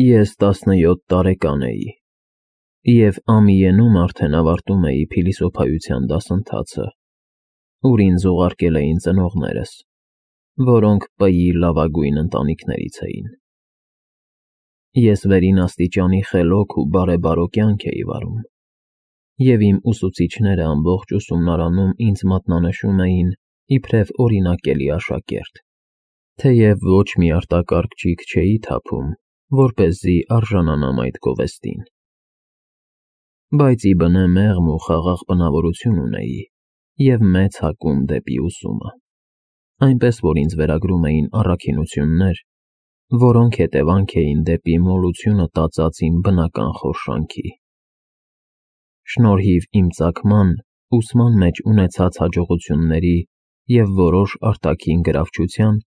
Ես 17 տարեկան էի, և Ամիենում արդեն ավարտում էի փիլիսոփայության դասընթացը, ուր ինձ ուղարկել էին ծնողներս, որոնք Բ-ի լավագույն ընտանիքներից էին։ Ես վերին աստիճանի խելոք ու բարեբարո կյանք էի վարում, և իմ ուսուցիչները ամբողջ ուսումնարանում ինձ մատնանշում էին իբրև օրինակելի աշակերտ, թեև ոչ մի արտակարգ ճիգ չէի թափում, որպեսզի արժանանամ այդ գովեստին։ Բայց ի բնե մեղմ ու խաղաղ բնավորություն ունեի և մեծ հակում դեպի ուսումը, այնպես որ ինձ վերագրում էին առաքինություններ, որոնք հետևանք էին դեպի մոլությունը տածած իմ բնական խորշանքի։ Շնորհիվ իմ ծագման, ուսման մեջ ունեցած հաջողությունների և որոշ արտաքին գրավչության,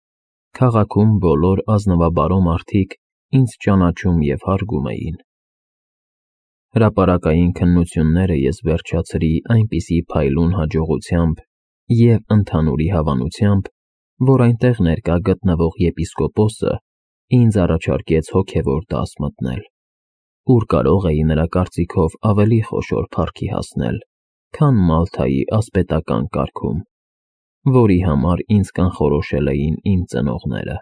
քաղաքում բոլոր ազնվաբարո մարդիկ ինձ ճանաչում և հարգում էին։ Հրապարակային քննությունները ես վերջացրի այնպիսի փայլուն հաջողությամբ և ընդհանուրի հավանությամբ, որ այնտեղ ներկա գտնվող եպիսկոպոսը ինձ առաջարկեց հոգևոր դաս մտնել, ուր կարող էի նրա կարծիքով ավելի խոշոր փառքի հասնել, քան Մալթայի ասպետական կարգում, որի համար ինձ կանխորոշել էին իմ ծնողները։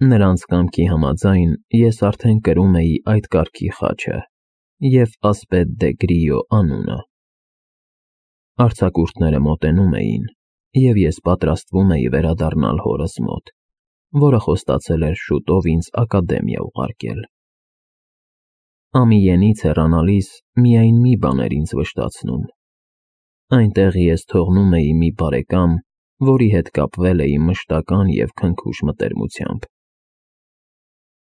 Նրանց կամքի համաձայն ես արդեն կրում էի այդ կարգի խաչը և ասպետ դե Գրիո անունը։ Արձակուրդները մոտենում էին, և ես պատրաստվում էի վերադառնալ հորս մոտ, որը խոստացել էր շուտով ինձ ակադեմիա ուղարկել։ Ամիենից հեռանալիս միայն մի բան էր ինձ վշտացնում. այնտեղ ես թողնում էի մի բարեկամ, որի հետ կապվել էի մշտական և քնքուշ մտերմությամբ։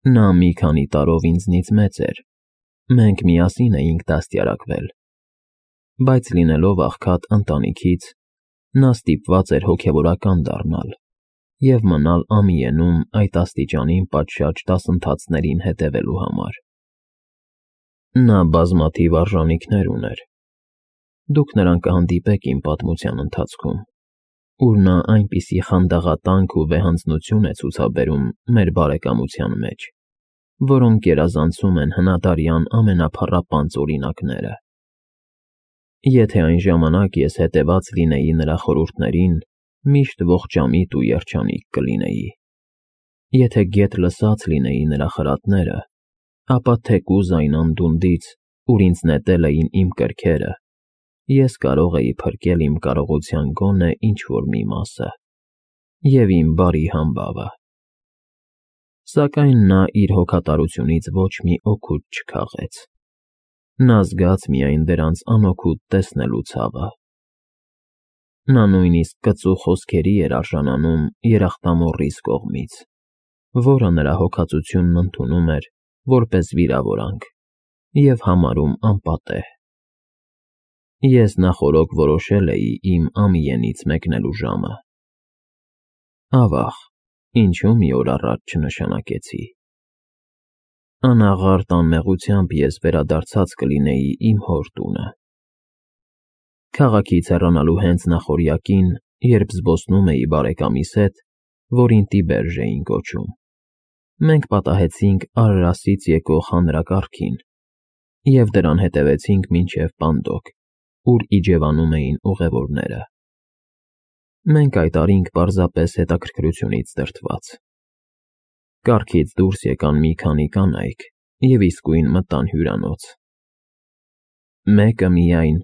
Նա մի քանի տարով ինձնից մեծ էր, մենք միասին էինք դաստիարակվել, բայց լինելով աղքատ ընտանիքից, նա ստիպված էր հոգևորական դառնալ և մնալ Ամիենում այդ աստիճանին պատշաճ դասընթացներին հետևելու համար։ Նա բազմաթիվ արժանինքներ ուներ։ Դուք նրան կհանդիպեք իմ պատմության ընթացքում, ուր նա այնպիսի խանդաղատանք ու վեհանձնություն է ցուցաբերում մեր բարեկամության մեջ, որոնք գերազանցում են հնադարյան ամենափառապանծ օրինակները։ Եթե այն ժամանակ ես հետևած լինեի նրա խորհուրդներին, միշտ ողջամիտ ու երջանիկ կլինեի։ Եթե գեթ լսած լինեի նրա խրատները, ապա թեկուզ այն անդունդից, ուր ինձ նետել էին իմ կրքերը, ես կարող էի փրկել իմ կարողության գոնե ինչ-որ մի մասը և իմ բարի համբավը։ Սակայն նա իր հոգատարությունից ոչ մի օգուտ չքաղեց։ Նա զգաց միայն դրանց անօգուտ տեսնելու ցավը։ Նա նույնիսկ կծու խոսքերի էր արժանանում երախտամոռիս կողմից, որը նրա հոգածությունն ընդունում էր որպես վիրավորանք և համարում անպատեհ։ Ես նախօրոք որոշել էի իմ Ամիենից մեկնելու ժամը։ Ավաղ, ինչու մի օր առաջ չնշանակեցի։ Անաղարտ անմեղությամբ ես վերադարձած կլինեի իմ հոր տունը։ Քաղաքից հեռանալու հենց նախօրյակին, երբ զբոսնում էի բարեկամիս հետ, որին Տիբերժ էին կոչում, մենք պատահեցինք Արարասից եկող հանրակարգին և դրան հետևեցինք մինչև Պանդոկ, ուր իջևանում էին ուղևորները։ Մենք այդ արինք պարզապես հետաքրքրությունից դրդված։ Կառքից դուրս եկան մի քանի կանայք և իսկույն մտան հյուրանոց։ Մեկը միայն,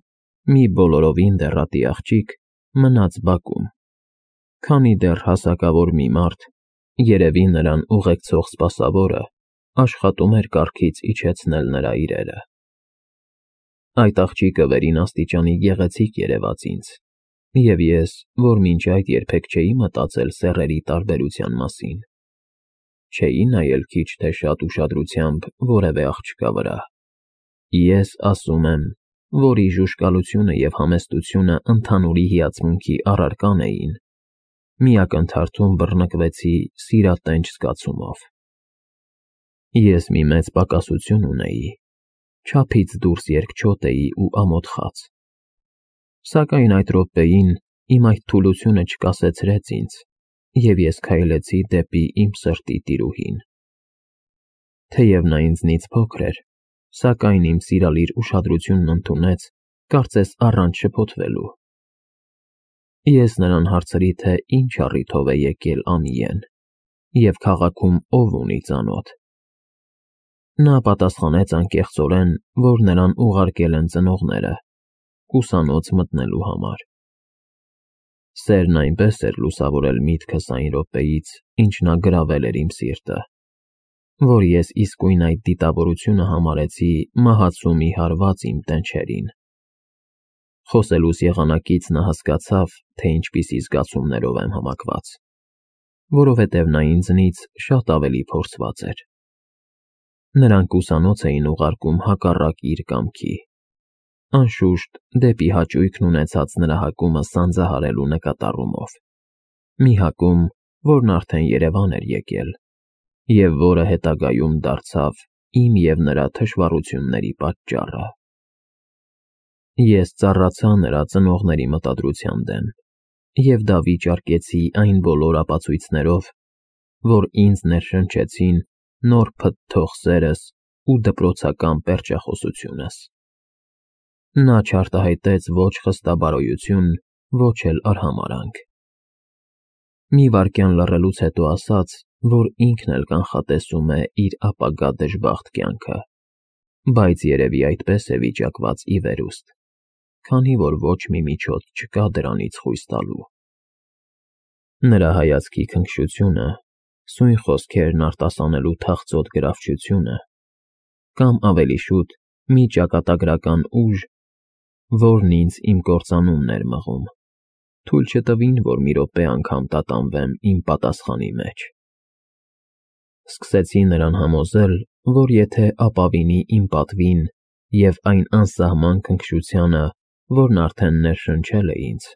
մի բոլորովին դեռատի աղջիկ, մնաց բակում, քանի դեռ հասակավոր մի մարդ, երևի նրան ուղեկցող սպասավորը, աշխատում էր կառքից իջեցնել նրա իրերը։ Այդ աղջիկը վերին աստիճանի գեղեցիկ երևաց ինձ, և ես, որ մինչ այդ երբեք չէի մտածել սեռերի տարբերության մասին, չէի նայել քիչ թե շատ ուշադրությամբ որևէ աղջկա վրա։ Ես ասում եմ, որի ժուժկալությունը և համեստությունը ընդհանուրի հիացմունքի առարկան էին, մի ակնթարթում բռնկվեցի սիրատենչ զգացումով։ Ես մի մեծ պակասություն ունեի, չափից դուրս երկչոտ էի ու ամոթխած։ Սակայն այդ րոպեին իմ այդ թուլությունը չկասեցրեց ինձ, և ես քայլեցի դեպի իմ սրտի տիրուհին։ Թեև նա ինձնից փոքր էր, սակայն իմ սիրալիր ուշադրությունն ընդունեց, կարծես առանց շփոթվելու։ Ես նրան հարցրի, թե ինչ առիթով է եկել Ամիեն և քաղաքում ով ունի ծանոթ։ Նա պատասխանեց անկեղծորեն, որ նրան ուղարկել են ծնողները, ուսանոց մտնելու համար։ Սերն այնպես էր լուսավորել միտքս այն րոպեից, ինչ նա գրավել էր իմ սիրտը, որ ես իսկույն այդ դիտավորությունը համարեցի մահացու մի հարված իմ տենչերին։ Խոսելուս եղանակից նա հասկացավ, թե ինչպիսի զգացումներով եմ համակված, որովհետև նա ինձնից շատ ավելի փորձված էր։ Նրանք ուսանոց էին ուղարկում հակառակ իր կամքի։ Անշուշտ, դեպի հաճույքն ունեցած նրա հակումը սանձահարելու նկատառումով։ Մի հակում, որն արդեն Երևան էր եկել, և որը հետագայում դարձավ իմ և նրա թշվառությունների պատճառը։ Ես ծառացա նրա ծնողների մտադրության դեմ և դա վիճարկեցի այն բոլոր ապացույցներով, որ ինձ ներշնչեցին նոր փթթող սերս ու դպրոցական պերճախոսությունս։ Նա չարտահայտեց ոչ խստաբարոյություն, ոչ էլ արհամարհանք։ Մի վայրկյան լռելուց հետո ասաց, որ ինքն էլ կանխատեսում է իր ապագա դժբախտ կյանքը, բայց երևի այդպես է վիճակված ի վերուստ, քանի որ ոչ մի միջոց չկա դրանից խույս տալու։ Նրա հայացքի քնքշությունը, սույն խոսքերն արտասանելու թախծոտ գրավչությունը, կամ ավելի շուտ մի ճակատագրական ուժ, որն ինձ իմ կործանումն էր մղում, թույլ չտվին, որ մի րոպե անգամ տատանվեմ իմ պատասխանի մեջ։ Սկսեցի նրան համոզել, որ եթե ապավինի իմ պատվին և այն անսահման քնքշությանը, որն արդեն ներշնչել է ինձ,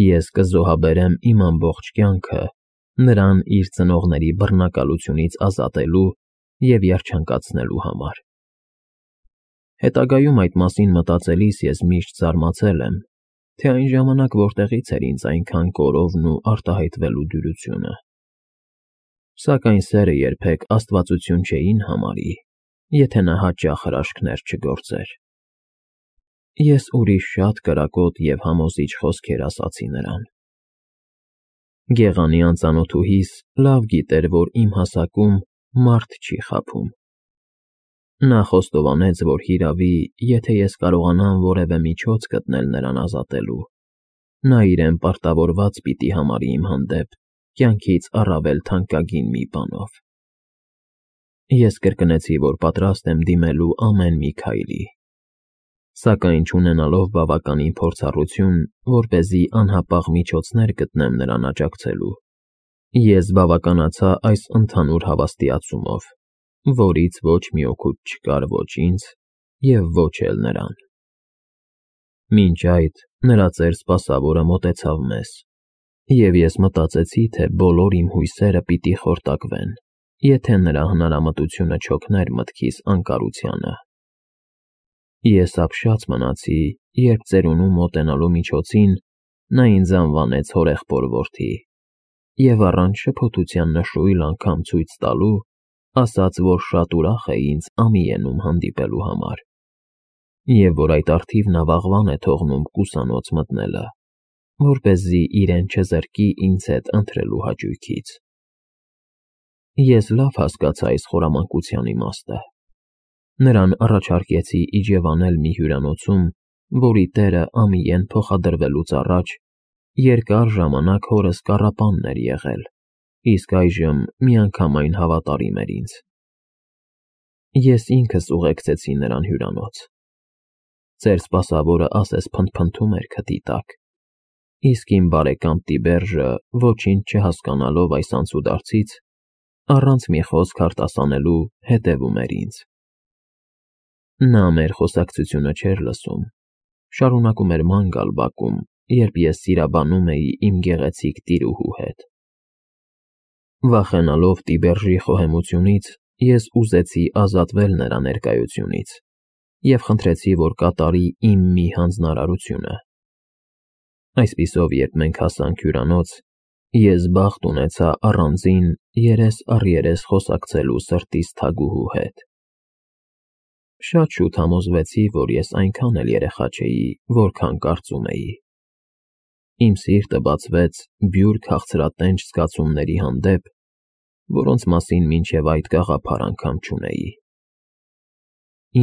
ես կզոհաբերեմ իմ ամբողջ կյանքը նրան իր ծնողների բռնակալությունից ազատելու և երջանկացնելու համար։ Հետագայում այդ մասին մտածելիս ես միշտ զարմացել եմ, թե այն ժամանակ որտեղից էր ինձ այնքան կորովն ու արտահայտվելու դյուրությունը։ Սակայն սերը երբեք աստվածություն չէին համարի, եթե նա հաճախ հրաշքներ չգործեր։ Ես ուրիշ շատ կրակոտ և համոզիչ խոսքեր ասացի նրան։ Գեղանի անծանոթուհիս լավ գիտեր, որ իմ հասակում մարդ չի խաբում։ Նա խոստովանեց, որ հիրավի, եթե ես կարողանամ որևէ միջոց գտնել նրան ազատելու, նա իրեն պարտավորված պիտի համարի իմ հանդեպ կյանքից առավել թանկագին մի բանով։ Ես կրկնեցի, որ պատրաստ եմ դիմելու ամեն մի քայլի, սակայն չունենալով բավականին փորձառություն, որպեսզի անհապաղ միջոցներ գտնեմ նրան աջակցելու, ես բավականացա այս ընդհանուր հավաստիացումով, որից ոչ մի օգուտ չկար ոչ ինձ և ոչ էլ նրան։ Մինչ այդ նրա ծեր սպասավորը մոտեցավ մեզ, և ես մտածեցի, թե բոլոր իմ հույսերը պիտի խորտակվեն, եթե նրա հնարամտությունը չօգներ մտքիս անկարությանը։ Ես ապշած մնացի, երբ ծերունու մոտենալու միջոցին նա ինձ անվանեց հորեղբոր որդի և առանց շփոթության նշույլ անգամ ցույց տալու, ասաց, որ շատ ուրախ է ինձ Ամիենում հանդիպելու համար, և որ այդ առթիվ նա վաղվան է թողնում ուսանոց մտնելը, որպեսզի իրեն չզրկի ինձ հետ ընթրելու հաճույքից։ Ես լավ հասկացա այս խորամանկության իմաստը։ Նրան առաջարկեցի իջևանել մի հյուրանոցում, որի տերը Ամիեն փոխադրվելուց առաջ երկար ժամանակ հորս կառապանն էր եղել, իսկ այժմ միանգամայն հավատարիմ էր ինձ։ Ես ինքս ուղեկցեցի նրան հյուրանոց։ Ծեր սպասավորը ասես փնթփնթում էր քթի տակ, իսկ իմ բարեկամ Տիբերժը, ոչինչ չհասկանալով այս անցուդարձից, առանց մի խոսք արտասանելու հետևում էր ինձ։ Նա մեր խոսակցությունը չէր լսում, շարունակում էր ման գալ բակում, երբ ես սիրաբանում էի իմ գեղեցիկ տիրուհու հետ։ Վախենալով Տիբերժի խոհեմությունից, ես ուզեցի ազատվել նրա ներկայությունից և խնդրեցի, որ կատարի իմ մի հանձնարարությունը։ Այսպիսով, երբ մենք հասանք հյուրանոց, Ես բախտ ունեցա առանձին երես առ երես խոսակցելու սրտիս թագուհու հետ։ Շատ շուտ համոզվեցի, որ ես այնքան էլ երեխա չէի, որքան կարծում էի։ Իմ սիրտը բացվեց բյուր քաղցրատենչ զգացումների հանդեպ, որոնց մասին մինչև այդ գաղափար անգամ չունեի։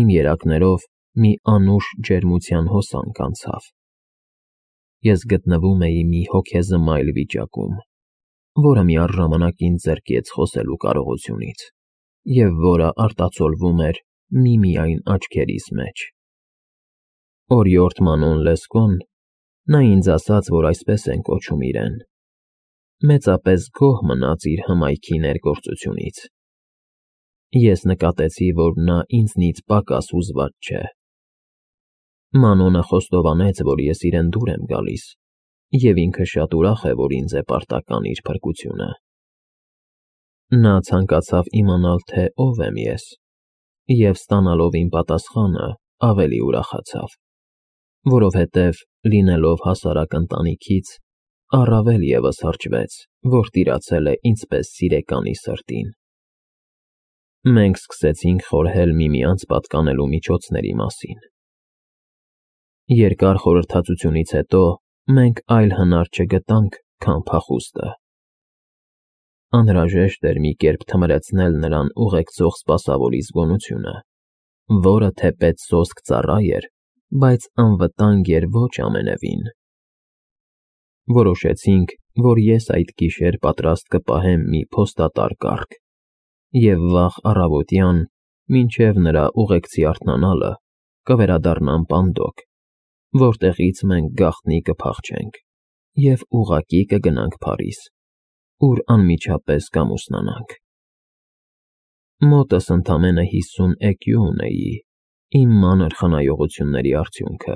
Իմ երակներով մի անուշ ջերմության հոսանք անցավ։ Ես գտնվում էի մի հոգեզմայլ վիճակում, որը միառժամանակ ինձ զրկեց խոսելու կարողությունից, և որը արտացոլվում էր միմիայն աչքերիս մեջ։ Օրիորդ Մանոն Լեսկոն, նա ինձ ասաց, որ այսպես են կոչում իրեն, մեծապես գոհ մնաց իր հմայքի ներգործությունից։ Ես նկատեցի, որ նա ինձնից պակաս հուզված չէ։ Մանոնը խոստովանեց, որ ես իրեն դուր եմ գալիս, և ինքը շատ ուրախ է, որ ինձ է պարտական իր փրկությունը։ Նա ցանկացավ իմանալ, թե ով եմ ես, և ստանալով իմ պատասխանը ավելի ուրախացավ, որովհետև, լինելով հասարակ ընտանիքից, առավել ևս հրճվեց, որ տիրացել է ինձպես սիրեկանի սրտին։ Մենք սկսեցինք խորհել միմյանց պատկանելու միջոցների մասին։ Երկար խորհրդածությունից հետո մենք այլ հնար չգտանք, քան փախուստը։ Անհրաժեշտ էր մի կերպ թմրեցնել նրան ուղեկցող սպասավորի զգոնությունը, որը թեպետ սոսկ ծառա էր, բայց անվտանգ էր ոչ ամենևին։ Որոշեցինք, որ ես այդ գիշեր պատրաստ կպահեմ մի փոստատար կառք, և վաղ առավոտյան, մինչև նրա ուղեկցի արթնանալը, կվերադառնամ Պանդոկ, որտեղից մենք գաղտնի կփախչենք և ուղղակի կգնանք Փարիզ, ուր անմիջապես կամուսնանանք։ Մոտս ընդամենը 50 էկյու ունեի, իմ մանր խնայողությունների արդյունքը,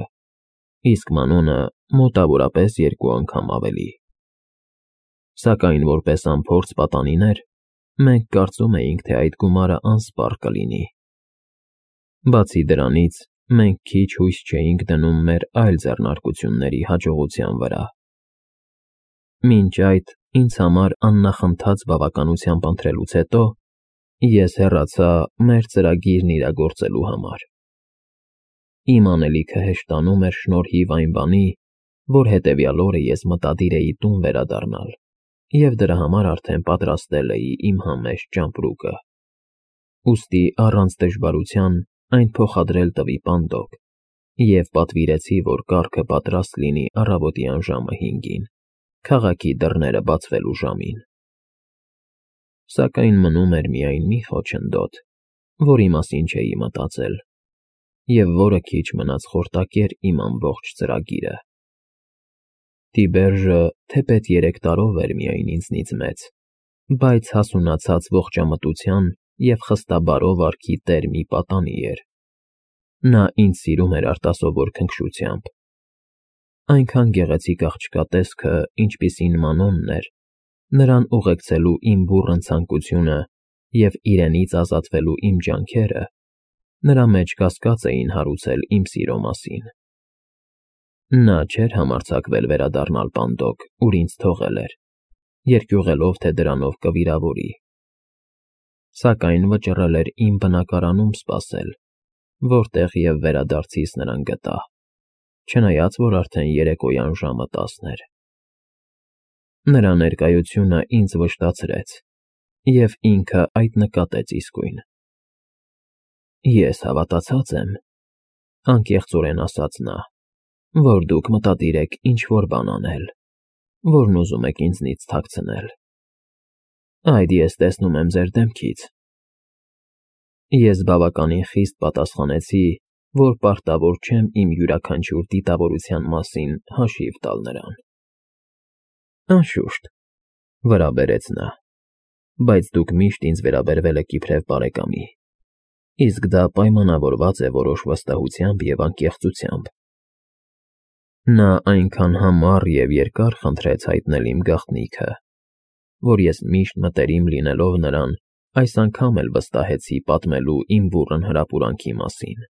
իսկ Մանոնը մոտավորապես 2 անգամ ավելի։ Սակայն որպես անփորձ պատանիներ, մենք կարծում էինք, թե այդ գումարը անսպառ կլինի։ Բացի դրանից, մենք քիչ հույս չէինք դնում մեր այլ ձեռնարկությունների հաջողության վրա։ Մինչ այդ, ինձ համար աննախընթաց բավականությամբ ընտրելուց հետո, ես հեռացա մեր ծրագիրն իրագործելու համար։ Իմ անելիքը հեշտանում էր շնորհիվ այն բանի, որ հետևյալ օրը ես մտադիր էի տուն վերադառնալ և դրա համար արդեն պատրաստել էի իմ համեստ ճամպրուկը։ Ուստի առանց դժվարության այն փոխադրել տվի Պանդոկ և պատվիրեցի, որ կառքը պատրաստ լինի առավոտյան ժամը 5-ին, քաղաքի դռները բացվելու ժամին։ Սակայն մնում էր միայն մի խոչընդոտ, որի մասին չէի մտածել, և որը քիչ մնաց խորտակեր իմ ամբողջ ծրագիրը։ Տիբերժը թեպետ 3 տարով էր միայն ինձնից մեծ, բայց հասունացած ողջամտության և խստաբարո վարքի տեր մի պատանի էր։ Նա ինձ սիրում էր արտասովոր քնքշությամբ։ Այնքան գեղեցիկ աղջկա տեսքը, ինչպիսին Մանոնն էր, նրան ուղեկցելու իմ բուռն ցանկությունը և իրենից ազատվելու իմ ջանքերը նրա մեջ կասկած էին հարուցել իմ սիրո մասին։ Նա չէր համարձակվել վերադառնալ Պանդոկ, ուր ինձ թողել էր, երկյուղելով, թե դրանով կվիրավորի։ Սակայն վճռել էր իմ բնակարանում սպասել, որտեղ և վերադարձիս նրան գտա, չնայած որ արդեն երեկոյան ժամը 10 էր։ Նրա ներկայությունը ինձ վշտացրեց, և ինքը այդ նկատեց իսկույն։ Ես հավատացած եմ, անկեղծորեն ասաց նա, որ դուք մտադիր եք ինչ-որ բան անել, որն ուզում եք ինձնից թաքցնել։ Այդ ես տեսնում եմ ձեր դեմքից։ Ես բավականին խիստ պատասխանեցի, որ պարտավոր չեմ իմ յուրաքանչյուր դիտավորության մասին հաշիվ տալ նրան։ Անշուշտ, վրա բերեց նա, բայց դուք միշտ ինձ վերաբերվել եք իբրև բարեկամի, իսկ դա պայմանավորված է որոշ վստահությամբ և անկեղծությամբ։ Նա այնքան համառ և երկար խնդրեց հայտնել իմ գաղտնիքը, որ ես միշտ մտերիմ լինելով նրան, այս անգամ էլ վստահեցի պատմելու իմ բուռն հրապուրանքի մասին։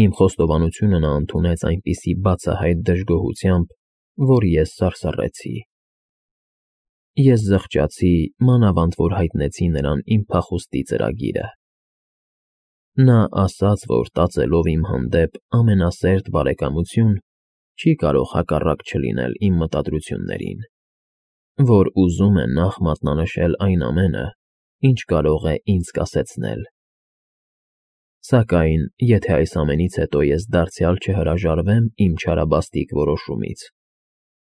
Իմ խոստովանությունը նա ընդունեց այնպիսի բացահայտ դժգոհությամբ, որ ես սարսռեցի։ Ես զղջացի, մանավանդ որ հայտնեցի նրան իմ փախուստի ծրագիրը։ Նա ասաց, որ տածելով իմ հանդեպ ամենասերտ բարեկամություն, չի կարող հակառակ չլինել իմ մտադրություններին, որ ուզում է նախ մատնանշել այն ամենը, ինչ կարող է ինձ կասեցնել։ Սակայն, եթե այս ամենից հետո ես դարձյալ չհրաժարվեմ իմ չարաբաստիկ որոշումից,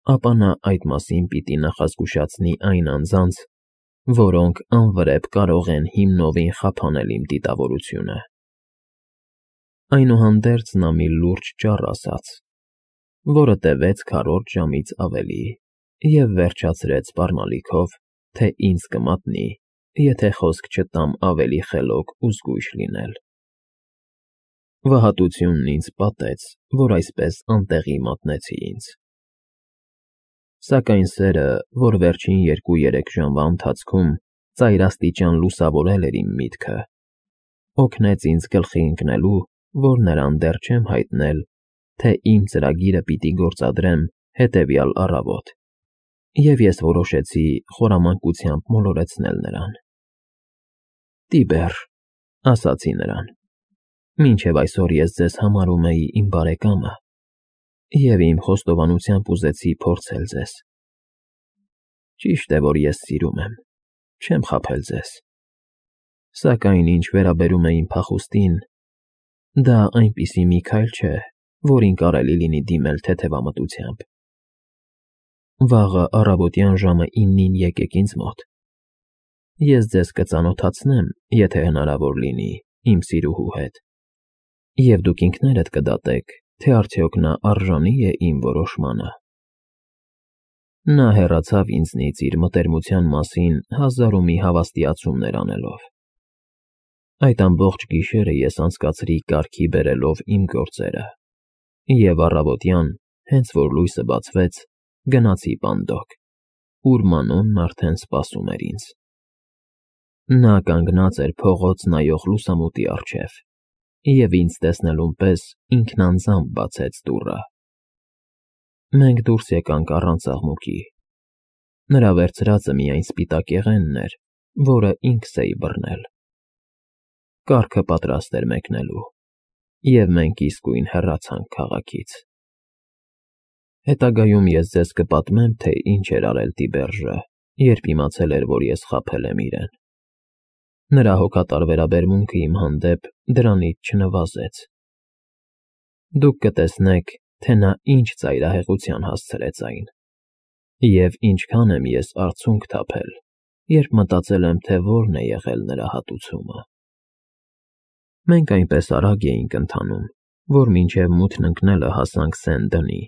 ապա նա այդ մասին պիտի նախազգուշացնի այն անձանց, որոնք անվրեպ կարող են հիմնովին խափանել իմ դիտավորությունը։ Այնուհանդերձ նա մի լուրջ ճառ ասաց, որը տևեց քառորդ ժամից ավելի և վերջացրեց սպառնալիքով, թե ինձ կմատնի, եթե խոսք չտամ ավելի խելոք ու զգույշ լինել։ Վհատությունն ինձ պատեց, որ այսպես անտեղի մատնեցի ինձ։ Սակայն սերը, որ վերջին 2-3 ժամվա ընթացքում ծայրաստիճան լուսավորել էր իմ միտքը, օգնեց ինձ գլխի ընկնելու, որ նրան դեռ չեմ հայտնել, թե իմ ծրագիրը պիտի գործադրեմ հետևյալ առավոտ, և ես որոշեցի խորամանկությամբ մոլորեցնել նրան։ «Տիբեր», ասացի նրան, «մինչև այսօր ես ձեզ համարում էի իմ բարեկամը և իմ խոստովանությամբ ուզեցի փորձել ձեզ։ Ճիշտ է, որ ես սիրում եմ, չեմ խաբել ձեզ, սակայն ինչ վերաբերում է իմ փախուստին, դա այնպիսի մի քայլ չէ, որին կարելի լինի դիմել թեթևամտությամբ։ Վաղը առավոտյան ժամը 9-ին եկեք ինձ մոտ։ Ես ձեզ կծանոթացնեմ, եթե հնարավոր լինի, իմ սիրուհու հետ, և դուք ինքներդ կդատեք, թե արդյոք նա արժանի է իմ որոշմանը»։ Նա հեռացավ ինձնից իր մտերմության մասին հազար ու մի հավաստիացումներ անելով։ Այդ ամբողջ գիշերը ես անցկացրի կարգի բերելով իմ գործերը, և առավոտյան, հենց որ լույսը բացվեց, գնացի պանդոկ, ուր Մանոնն արդեն սպասում էր ինձ։ Նա կանգնած էր փողոց նայող լուսամուտի առջև, և ինձ տեսնելուն պես ինքնանձամբ բացեց դուռը։ Մենք դուրս եկանք առանց աղմուկի։ Նրա վերցրածը միայն սպիտակեղենն էր, որը ինքս էի բռնել։ Կառքը պատրաստ էր մեկնելու, և մենք իսկույն հեռացանք քաղաքից։ Հետագայում ես ձեզ կպատմեմ, թե ինչ էր արել Տիբերժը, երբ իմացել էր, որ ես խաբել եմ իրեն։ Նրա հոգատար վերաբերմունքը իմ հանդեպ դրանից չնվազեց։ Դուք կտեսնեք, թե նա ինչ ծայրահեղության հասցրեց այն, և ինչքան եմ ես արցունք թափել, երբ մտածել եմ, թե որն է եղել նրա հատուցումը։ Մենք այնպես արագ էինք ընթանում, որ մինչև մութն ընկնելը հասանք Սեն֊Դենի,